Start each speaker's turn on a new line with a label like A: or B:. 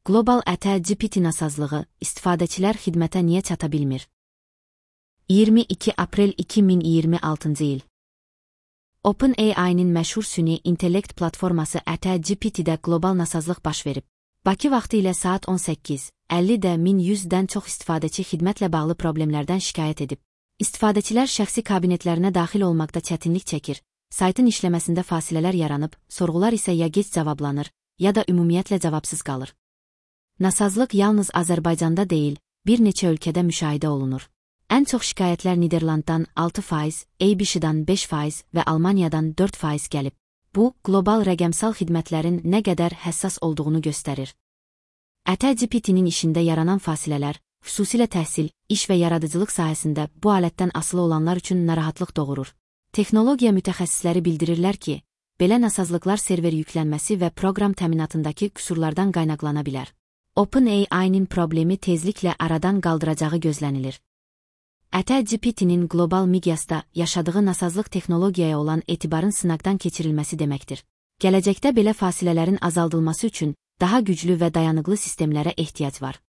A: Qlobal GPT nasazlığı, istifadəçilər xidmətə niyə çata bilmir? 22 aprel 2026-cı il. OpenAI-nin məşhur süni intellekt platforması GPT-də qlobal nasazlıq baş verib. Bakı vaxtı ilə saat 18:50-də 1100-dən çox istifadəçi xidmətlə bağlı problemlərdən şikayət edib. İstifadəçilər şəxsi kabinetlərinə daxil olmaqda çətinlik çəkir, saytın işləməsində fasilələr yaranıb, sorğular isə ya gec cavablanır, ya da ümumiyyətlə cavabsız qalır. Nasazlıq yalnız Azərbaycanda deyil, bir neçə ölkədə müşahidə olunur. Ən çox şikayətlər Niderlanddan 6%, ABC-dan 5% və Almaniyadan 4% gəlib. Bu, qlobal rəqəmsal xidmətlərin nə qədər həssas olduğunu göstərir. GPT-nin işində yaranan fasilələr, xüsusilə təhsil, iş və yaradıcılıq sahəsində bu alətdən asılı olanlar üçün narahatlıq doğurur. Texnologiya mütəxəssisləri bildirirlər ki, belə nasazlıqlar server yüklənməsi və proqram təminatındakı qüsurlardan qaynaqlana bilər. OpenAI-nin problemi tezliklə aradan qaldıracağı gözlənilir. GPT-nin qlobal miqyasda yaşadığı nasazlıq texnologiyaya olan etibarın sınaqdan keçirilməsi deməkdir. Gələcəkdə belə fasilələrin azaldılması üçün daha güclü və dayanıqlı sistemlərə ehtiyac var.